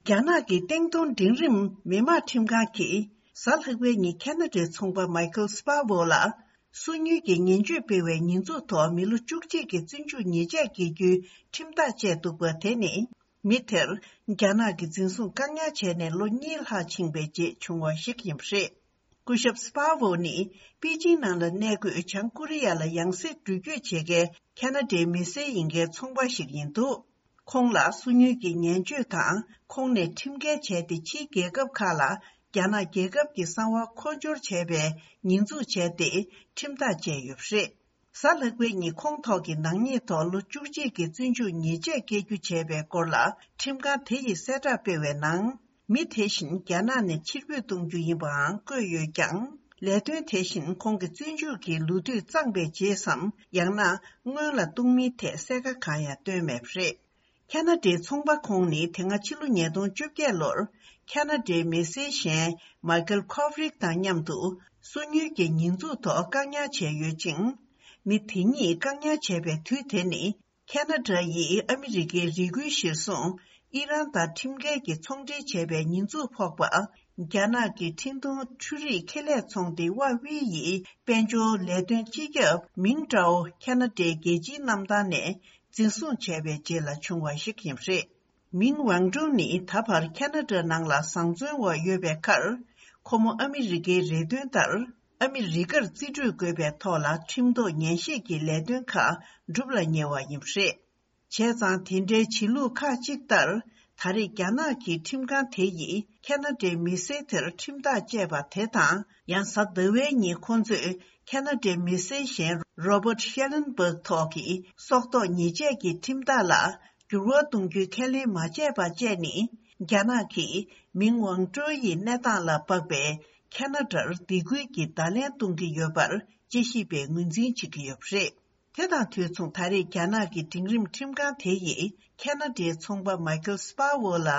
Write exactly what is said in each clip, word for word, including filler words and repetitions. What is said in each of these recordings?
རྒྱ་ནག་གི་སྟེང་གདོང་འབྲིང་རིམ་མི་དམངས་ཁྲིམས་ཁང་གིས་གཟའ་ལྷག་པའི་ཉིན་ཁ་ན་ཌའི་ཚོང་པ་མའི་ཁལ་སྤར་ཝོ་ལ་སོ་ཉུལ་གྱི་ཉེས་གཅོད་སྤེལ་བའི་ཉེས་འཛུགས་ཐོག་མི་ལོ་བཅུ་གཅིག་གི་བཙོན་འཇུག་ཉེས་ཆད་འགེལ་རྒྱུའི་ཁྲིམས་ཐག་བཅད་འདུག་པ། དེ་ནི་མི་དེར་རྒྱ་ནག་གི་འཛིན་བཟུང་བཀག་ཉར་བྱས་ནས་ལོ་གཉིས་ལྷག་ཕྱིན་པའི་རྗེས་བྱུང་བ་ཞིག་ཡིན་པ་རེད། སྐུ་ཞབས་སྤར་ཝོ་ནི་པེ་ཅིང་ནང་ལ་གནས་འཁོད་བྱང་ཀོ་རི་ཡ་ལ་ཡང་སེ་འགྲུལ་སྐྱོད་བྱེད་མཁན་ཁ་ན་ཌའི་མི་སེར་ཡིན་མཁན་ཚོང་པ་ཞིག་ཡིན་འདུག་ཁོང་ལ་སོ་ཉུལ་གྱི་ཉེས་གཅོད་དང་ཁོང་ནས་ཁྲིམས་འགལ་བྱས་ཏེ་ཕྱིའི་རྒྱལ་ཁབ་ཁག་ལ་རྒྱ་ནག་རྒྱལ་ཁབ་ཀྱི་གསང་བ་མཁོ་སྦྱོར་བྱས་པའི་ཉེས་འཛུགས་བྱས་ཏེ་ཁྲིམས་ཐག་བཅད་ཡོད་པ་རེད། གཟའ་ལྷག་པའི་ཉིན་ཁོང་ཐོག་གི་ནག་ཉེས་ཐོག་ལོ་བཅུ་གཅིག་གི་བཙོན་འཇུག་ཉེས་ཆད་བཀལ་རྒྱུ་བྱས་པའི་སྐོར་ལ་ཁྲིམས་ཁང་དེ་ཡིས་གསལ་བསྒྲགས་སྤེལ་བའི་ནང་། མི་དེ་བཞིན་རྒྱ་ནག་ནས་ཕྱིར་འབུད་གཏོང་རྒྱུ་ཡིན་པའང་བཀོད་ཡོད་ཀྱང་། ལས་དོན་དེ་བཞིན་ཁོང་གི་བཙོན་འཇུག་གི་ལོ་དུས་གཙང་པའི་རྗེས་སམ། ཡང་ན་སྔོན་ལ་གཏོང་མིན་ཐད་གསལ་ཁ་གང་ཡང་བཏོན་མེད་པ་རེད། ཁ་ན་ཌའི་ཚོང་པ་ཁོང་ནི་དེ་སྔ་ཕྱི་ལོ་ཉིས་སྟོང་བཅོ་བརྒྱད་ལོར་ཁ་ན་ཌའི་མི་སེར་གཞན་མའི་ཁལ་ཁོབ་རིག་དང་མཉམ་དུ་སོ་ཉུལ་གྱི་ཉེས་འཛུགས་ཐོག་བཀག་ཉར་བྱས་ཡོད་ཅིང་། མི་དེ་གཉིས་བཀག་ཉར་བྱས་པའི་དུས་དེ་ནི། ཁ་ན་ཌ་ཡིས་ཨ་མི་རི་ཀའི་རི་ཁུལ་གཞིར་བཟུང་ཨི་རན་དང་ཁྲིམས་འགལ་གྱི་ཚོང་འབྲེལ་བྱས་པའི་ཉེས་འཛུགས་ཕོག་པ། རྒྱ་ནག་གི་འཕྲིན་གཏོང་འཕྲུལ་རིག་ཁེ་ལས་ཚོང་སྡེ་ཧྭ་ཝེ་ཡི་དཔལ་འབྱོར་ལས་དོན་སྤྱི་ཁྱབ་མིང་ཀྲའོ་ཁ་ན་ཌའི་རྒྱལ་སྤྱིའི་གནམ་ཐང་ནས་འཛིན་བཟུང་བྱས་པའི་རྗེས་ལ་བྱུང་བ་ཞིག་ཡིན་པ་རེད། མིང་ཝང་ཀྲུང་ནི་ད་བར་ཁ་ན་ཌ་ནང་ལ་བཟང་བཙོན་འོག་ཡོད་པའི་ཁར། ཁོ་མོ་ཨ་མི་རི་ཀའི་རེ་འདུན་ལྟར། ཨ་མི་རི་ཀར་རྩིས་སྤྲོད་དགོས་པའི་ཐོག་ལ་ཁྲིམས་ཐོག་ཉན་ཞིབ་ཀྱི་ལས་དོན་ཁག་སྒྲུབ་ལ་ཉེ་བ་ཡིན་པ་རེད། བྱས་ཙང་དེ་འདྲའི་བྱེད་ལུགས་ཁག་ཅིག་ལྟར། ད་རེས་རྒྱ་ནག་གི་ཁྲིམས་ཁང་དེ་ཡིས་ཁ་ན་ཌའི་མི་སེར་དེར་ཁྲིམས་ཐག་བཅད་པ་དེ་དང་། ཡང་གཟའ་ཟླ་བའི་ཉིན་ཁོ་ཚོས་ཁ་ན་ཌའི་མི་སེར་གཞན་Robert Schellenberg་ཐོག་གི་སྲོག་ཐོག་ཉེས་ཆད་ཀྱི་ཁྲིམས་ཐག་ལ་འགྱུར་བ་གཏོང་རྒྱུའི་ཁས་ལེན་མ་བྱས་པ་བཅས་ནི། རྒྱ་ནག་གིས་མིང་ཝང་ཀྲོའུ་ཡི་གནས་སྟངས་ལ་དཔག་པའི་ཁ་ན་ཌར་སྡིགས་སྐུལ་གྱི་བརྡ་ལན་གཏོང་གི་ཡོད་པར་དཔྱད་ཞིབ་པས་ངོས་འཛིན་བྱེད་ཀྱི་ཡོད་པ་རེད། དེ་དང་དུས་མཚུངས། ད་རེས་རྒྱ་ནག་གི་འབྲིང་རིམ་ཁྲིམས་ཁང་དེ་ཡིས་ཁ་ན་ཌའི་ཚོང་པ་མའི་ཁལ་སྤར་ཝོ་ལ་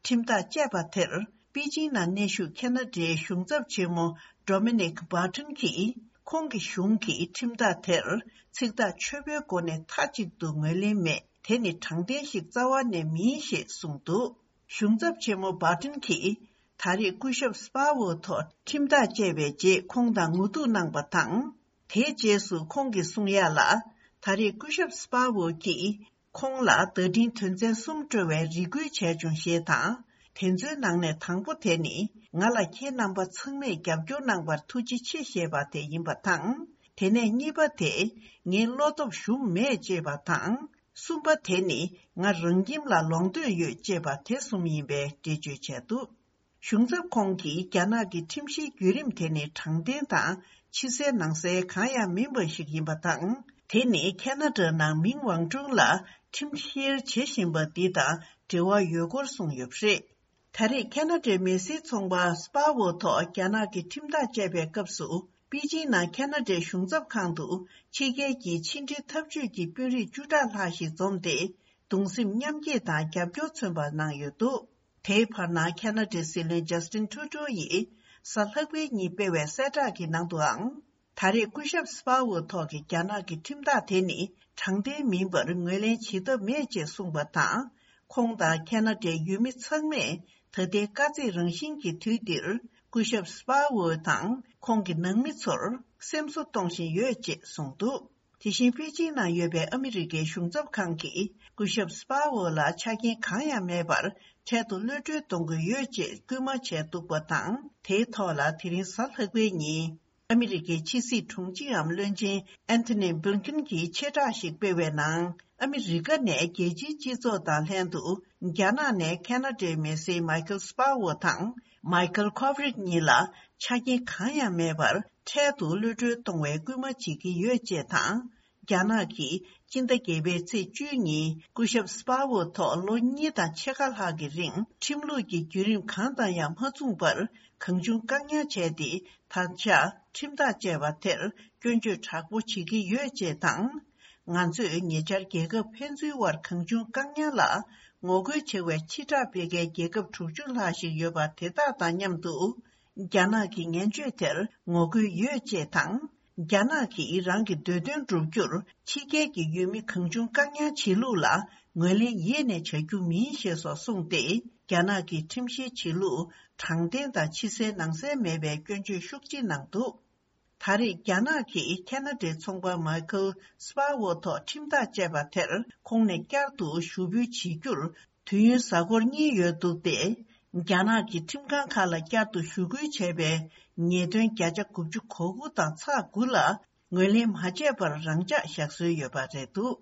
ཁྲིམས་ཐག་བཅད་པ་དེར། པེ་ཅིང་ནང་གནས་བཞུགས་ཁ་ན་ཌའི་གཞུང་ཚབ་ཆེན་མོ་Dominic Barton་གྱིས། ཁོང་གི་གཞུང་གིས་ཁྲིམས་ཐག་དེར་ཚིག་ཐག་ཆོད་པོའི་སྒོ་ནས་མཐའ་གཅིག་ཏུ་ངོས་ལེན་མེད། དེ་ནི་དྲང་བདེན་ཞིག་རྩ་བ་ནས་མིན་ཞེས་གསུངས་འདུག་གཞུང་ཚབ་ཆེན་མོ་Barton་གྱིས། ད་རེས་སྐུ་ཞབས་སྤར་ཝོ་ཐོག་ཁྲིམས་ཐག་བཅད་པའི་རྗེས་ཁོང་དང་ངོ་ཐུག་གནང་པ་དང་། དེའི་རྗེས་སུ་ཁོང་གིས་གསུང་ཡ་ལ། ད་རེས་སྐུ་ཞབས་སྤར་ཝོ་གྱིས་ཁོང་ལ་བརྡ་འཕྲིན་དོན་ཚན་གསུམ་སྤྲོད་པའི་རེ་སྐུལ་བྱས་བྱུང་ཞེས་དང་། དེ་ཚོའི་ནང་ནས་དང་པོ་དེ་ནི། ང་ལ་ཁྱེད་རྣམ་པ་ཚང་མས་རྒྱབ་སྐྱོར་གནང་བར་ཐུགས་རྗེ་ཆེ་ཞེས་པ་དེ་ཡིན་པ་དང་། དེ་ནས་གཉིས་པ་དེ། ངའི་བློ་སྟོབས་ཞུམ་མེད་ཅེས་པ་དང་། གསུམ་པ་དེ་ནི། ང་རང་ཁྱིམ་ལ་ལོག་འདོད་ཡོད་ཅེས་པ་དེ་གསུམ་ཡིན་པའི་འགྲེལ་བརྗོད་བྱས་འདུག་གཞུང་ཚབ་ཁོང་གིས་རྒྱ་ནག་གི་ཁྲིམས་གཞིའི་བརྒྱུད་རིམ་དེ་ནི་དྲང་བདེན་དང་ཕྱི་གསལ་ནང་གསལ་གང་ཡང་མིན་པ་ཞིག་ཡིན་པ་དང་། དེ་ནི་ཁ་ན་ཌ་ནང་མིང་ཝང་ཀྲུང་ལ་ཁྲིམས་བཤེར་བྱེད་བཞིན་པ་འདི་དང་འབྲེལ་བ་ཡོད་སྐོར་གསུངས་ཡོད་པ་རེད། ད་རེས་ཁ་ན་ཌའི་མི་སེར་ཚོང་པ་སྤར་ཝོ་ཐོག་རྒྱ་ནག་གི་ཁྲིམས་ཐག་བཅད་པའི་སྐབས་སུ། པེ་ཅིང་ནང་ཁ་ན་ཌའི་གཞུང་ཚབ་ཁང་དུ་ཕྱི་རྒྱལ་གྱི་ཕྱི་འབྲེལ་འཐབ་ཇུས་ཀྱི་དཔོན་རིགས་བཅུ་ཕྲག་ལྷག་ཞིག་འཛོམས་ཏེ། གདུང་སེམས་མཉམ་སྐྱེད་དང་རྒྱབ་སྐྱོར་མཚོན་པ་གནང་ཡོད་འདུག་དེའི་བར་ན་ཁ་ན་ཌའི་སྲིད་བློན་ཇཱ་སི་ཏིན་ཁྲུ་ཏོ་ཡིས་གཟའ་ལྷག་པའི་ཉིན་སྤེལ་བའི་གསལ་བསྒྲགས་ཀྱི་ནང་དུའང་། ད་རེས་སྐུ་ཞབས་སྤར་ཝོ་ཐོག་གི་རྒྱ་ནག་གི་ཁྲིམས་ཐག་དེ་ནི་དྲང་བདེན་མིན་པར་ངོས་ལེན་བྱེད་ཐབས་མེད་ཅེས་གསུངས་པ་དང་། ཁོང་དང་ཁ་ན་ཌའི་ཡུལ་མི་ཚང་མས་ད་ལྟའི་དཀའ་ཚེགས་རང་བཞིན་གྱི་དུས་འདིར། སྐུ་ཞབས་སྤར་ཝོ་དང་ཁོང་གི་ནང་མི་ཚོར་སེམས་གསོ་གཏོང་བཞིན་ཡོད་ཅེས་གསུངས་འདུག་དེ་བཞིན་པེ་ཅིང་ནང་ཡོད་པའི་ཨ་མི་རི་ཀའི་གཞུང་ཚབ་ཁང་གིས་སྐུ་ཞབས་སྤར་ཝོ་ལ་ཆ་རྐྱེན་གང་ཡང་མེད་པར་འཕྲལ་དུ་གློད་གྲོལ་གཏོང་དགོས་ཡོད་ཅེས་སྐུལ་མ་བྱས་འདུག་པ་དང་། དེའི་ཐོག་ལ་དེ་རིང་གཟའ་ལྷག་པའི་ཉིན། ཨ་མི་རི་ཀའི་ཕྱི་སྲིད་དྲུང་ཆེའམ་བློན་ཆེན་ཨན་ཐོ་ནི་བྷིལ་ཀིན་གྱིས་ཆེ་བསྒྲགས་ཤིག་སྤེལ་བའི་ནང་། ཨ་མི་རི་ཀ་ནས་རྒྱལ་སྤྱིའི་སྤྱི་ཚོགས་དང་ལྷན་དུ། རྒྱ་ནག་ནས་ཁ་ན་ཌའི་མི་སེར་མའི་ཁལ་སྤར་ཝོ་དང་། མའི་ཁལ་ཁོབ་རིག་གཉིས་ལ་ཆ་རྐྱེན་གང་ཡང་མེད་པར། འཕྲལ་དུ་གློད་གྲོལ་གཏོང་བའི་སྐུལ་མ་བྱེད་ཀྱི་ཡོད་ཅེས་དང་། རྒྱ་ནག་གིས་སྤྱི་ཟླ་བརྒྱད་པའི་ཚེས་བཅུའི་ཉིན་སྐུ་ཞབས་སྤར་ཝོ་ཐོག་ལོ་གཉིས་དང་ཕྱེད་ཀ་ལྷག་གི་རིང་ཁྲིམས་ལུགས་ཀྱི་བརྒྱུད་རིམ་གང་དང་ཡང་མ་མཚུངས་པར་གང་བྱུང་བཀག་ཉར་བྱས་ཏེ། ད་ཆ་ཁྲིམས་ཐག་བཅད་པ་དེར་སྐྱོན་བརྗོད་དྲག་པོ་བྱེད་ཀྱི་ཡོད་ཅེས་དང་། ང་ཚོས་ཉེ་ཆར་རྒྱལ་ཁབ་ཕན་ཚུན་དབར་གང་བྱུང་བཀག་ཉར་ལ་ངོ་རྒོལ་བྱེད་པའི་ཕྱིར་བསྒྲགས་སྤེལ་མཁན་རྒྱལ་ཁབ་དྲུག་ཅུ་ལྷག་ཞིག་ཡོད་པ་དེ་དག་དང་མཉམ་དུ། རྒྱ་ནག་གི་ངན་བྱུས་དེར་ངོ་རྒོལ་ཡོད་ཅེས་དང་། རྒྱ་ནག་གིས་རང་གི་འདོད་དོན་བསྒྲུབ་རྒྱུར་ཕྱི་རྒྱལ་གྱི་ཡུལ་མི་གང་བྱུང་བཀག་ཉར་བྱེད་ལུགས་ལ་ངོས་ལེན་ཡེ་ནས་བྱ་རྒྱུ་མིན་ཞེས་སོགས་གསུངས་ཏེ། རྒྱ་ནག་གི་ཁྲིམས་བཤེར་བྱེད་ལུགས་དྲང་བདེན་དང་ཕྱི་གསལ་ནང་གསལ་མེད་པའི་སྐྱོན་བརྗོད་ཤུགས་ཆེ་གནང་འདུག་ད་རེས་རྒྱ་ནག་གིས་ཁ་ན་ཌའི་ཚོང་པ་མའི་ཁལ་སི་པ་ཝོ་ཐོག་ཁྲིམས་ཐག་བཅད་པ་དེར་ཁོང་ནས་བསྐྱར་དུ་ཞུ་འབུལ་བྱེད་རྒྱུར་དུས་ཡུན་གཟའ་འཁོར་གཉིས་ཡོད་འདུག་སྟེ། རྒྱ་ནག་གི་ཁྲིམས་ཁང་ཁག་ལ་བསྐྱར་དུ་ཞུ་སྐུལ་བྱས་པའི་ཉེས་དོན་བརྒྱ་ཆ་དགུ་བཅུ་གོ་དགུ་དང་ཚེག་དགུ་ལ་ངོས་ལེན་མ་བྱས་པར་རང་འཇགས་བཞག་སྲོལ་ཡོད་པ་རེད་འདུག